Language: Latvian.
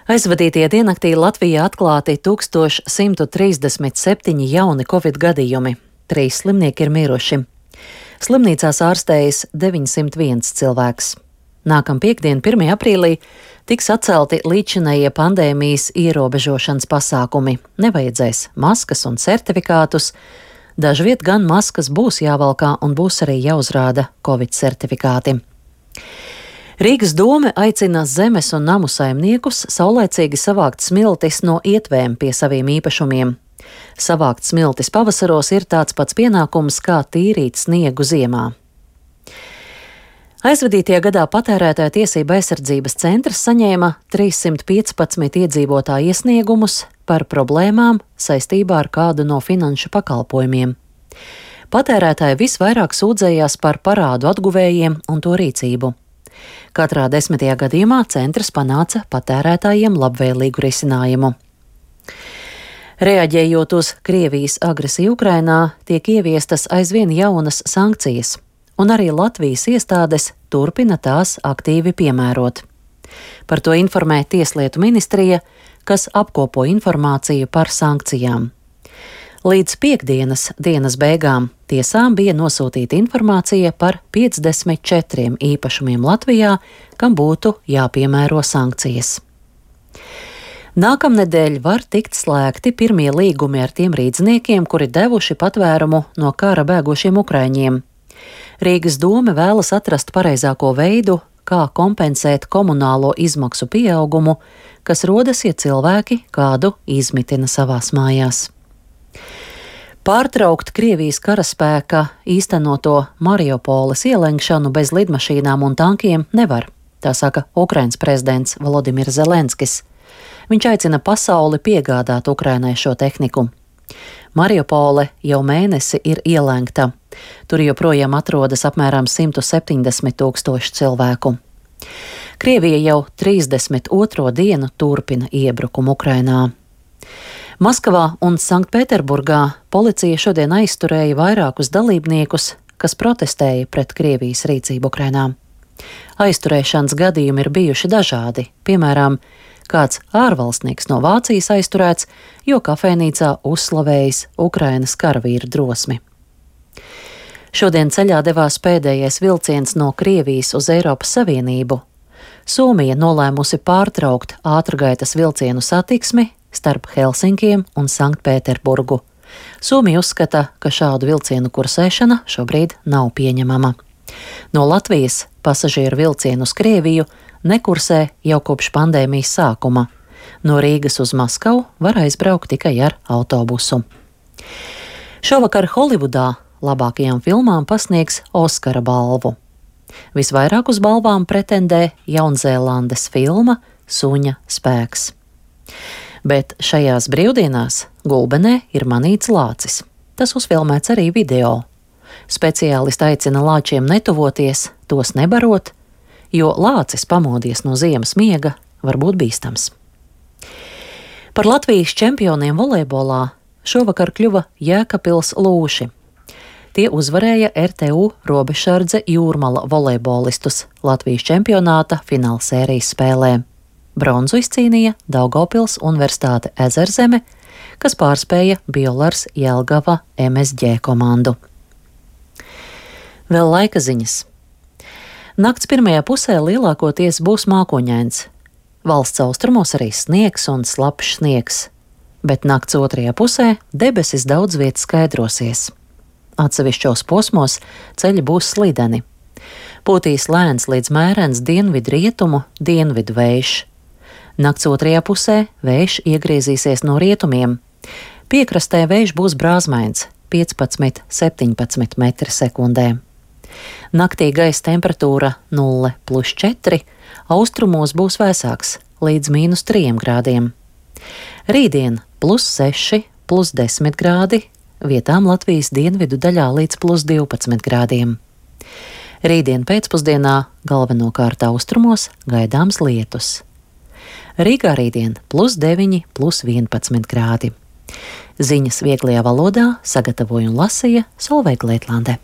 Aizvadītie diennaktī Latvijā atklāti 1137 jauni covid gadījumi. 3 slimnieki ir miruši. Slimnīcās ārstējas 901 cilvēks. Nākamā piekdiena, 1. aprīlī, tiks atcelti līdzinējie pandēmijas ierobežošanas pasākumi. Nevajadzēs maskas un certifikātus. Dažviet gan maskas būs jāvalkā un būs arī jāuzrāda covid certifikāti. Rīgas dome aicina zemes un namu saimniekus saulēcīgi savākt smiltis no ietvēm pie saviem īpašumiem. Savākt smiltis pavasaros ir tāds pats pienākums, kā tīrīt sniegu ziemā. Aizvadītajā gadā Patērētāju tiesību aizsardzības centrs saņēma 315 iedzīvotāju iesniegumus par problēmām saistībā ar kādu no finanšu pakalpojumiem. Patērētāji visvairāk sūdzējās par parādu atguvējiem un to rīcību. Katrā 10. gadījumā centrs panāca patērētājiem labvēlīgu risinājumu. Reaģējot uz Krievijas agresiju Ukrainā, tiek ieviestas aizvien jaunas sankcijas, un arī Latvijas iestādes turpina tās aktīvi piemērot. Par to informē Tieslietu ministrija, kas apkopo informāciju par sankcijām. Līdz piekdienas dienas beigām tiesām bija nosūtīta informācija par 54 īpašumiem Latvijā, kam būtu jāpiemēro sankcijas. Nākamnedēļ var tikt slēgti pirmie līgumi ar tiem rīdzniekiem, kuri devuši patvērumu no kara bēgošiem ukraiņiem. Rīgas dome vēlas atrast pareizāko veidu, kā kompensēt komunālo izmaksu pieaugumu, kas rodas, ja cilvēki kādu izmitina savās mājās. Pārtraukt Krievijas karaspēka īstenoto Mariupoles ielenkšanu bez lidmašīnām un tankiem nevar, tā saka Ukrainas prezidents Volodimirs Zelenskis. Viņš aicina pasauli piegādāt Ukrainai šo tehniku. Mariupole jau mēnesi ir ielenkta. Tur joprojām atrodas apmēram 170 000 cilvēku. Krievija jau 32. dienu turpina iebrukumu Ukrainā. Maskavā un Sanktpēterburgā policija šodien aizturēja vairākus dalībniekus, kas protestēja pret Krievijas rīcību Ukrainā. Aizturēšanas gadījumi ir bijuši dažādi, piemēram, kāds ārvalstnieks no Vācijas aizturēts, jo kafejnīcā uzslavējis Ukrainas karavīru drosmi. Šodien ceļā devās pēdējais vilciens no Krievijas uz Eiropas Savienību. Somija nolēmusi pārtraukt ātrgaitas vilcienu satiksmi starp Helsinkiem un Sanktpēterburgu. Somija uzskata, ka šādu vilcienu kursēšana šobrīd nav pieņemama. No Latvijas pasažieru vilcienu uz Krieviju nekursē jau kopš pandēmijas sākuma. No Rīgas uz Maskavu var aizbraukt tikai ar autobusu. Šovakar Holivudā labākajām filmām pasniegs Oskara balvu. Visvairāk uz balvām pretendē Jaunzēlandes filma Suņa spēks. Bet šajās brīvdienās Gulbenē ir manīts lācis. Tas uzfilmēts arī video. Speciālisti aicina lāčiem netuvoties, tos nebarot, jo lācis pamodies no ziemas miega var būt bīstams. Par Latvijas čempioniem volejbolā šovakar kļuva Jēkabpils Lūši. Tie uzvarēja RTU Robežsardze Jūrmala volejbolistus Latvijas čempionāta finālsērijas spēlē. Bronzu izcīnīja Daugavpils Universitāte Ezerzeme, kas pārspēja Biolars Jelgava MSG komandu. Vēl laika ziņas. Nakts pirmajā pusē lielākoties būs mākoņains. Valsts austrumos arī sniegs un slapjš sniegs, bet nakts otrajā pusē debesis daudz viet skaidrosies. Atsevišķos posmos ceļi būs slideni. Pūtīs lēns līdz mērens dienvidu-rietumu dienvidu vējš. Nakts otrajā pusē vējš iegriezīsies no rietumiem. Piekrastē vējš būs brāzmains 15–17 metri sekundē. Naktī gaisa temperatūra 0+4, austrumos būs vēsāks līdz -3 grādiem. Rītdien +6, +10 grādi, vietām Latvijas dienvidu daļā līdz +12 grādiem. Rītdien pēcpusdienā galvenokārt austrumos gaidāms lietus. Rīgā rītdien +9, +11 grādi. Ziņas vieglajā valodā sagatavoja un lasīja Solveiga Lietlande.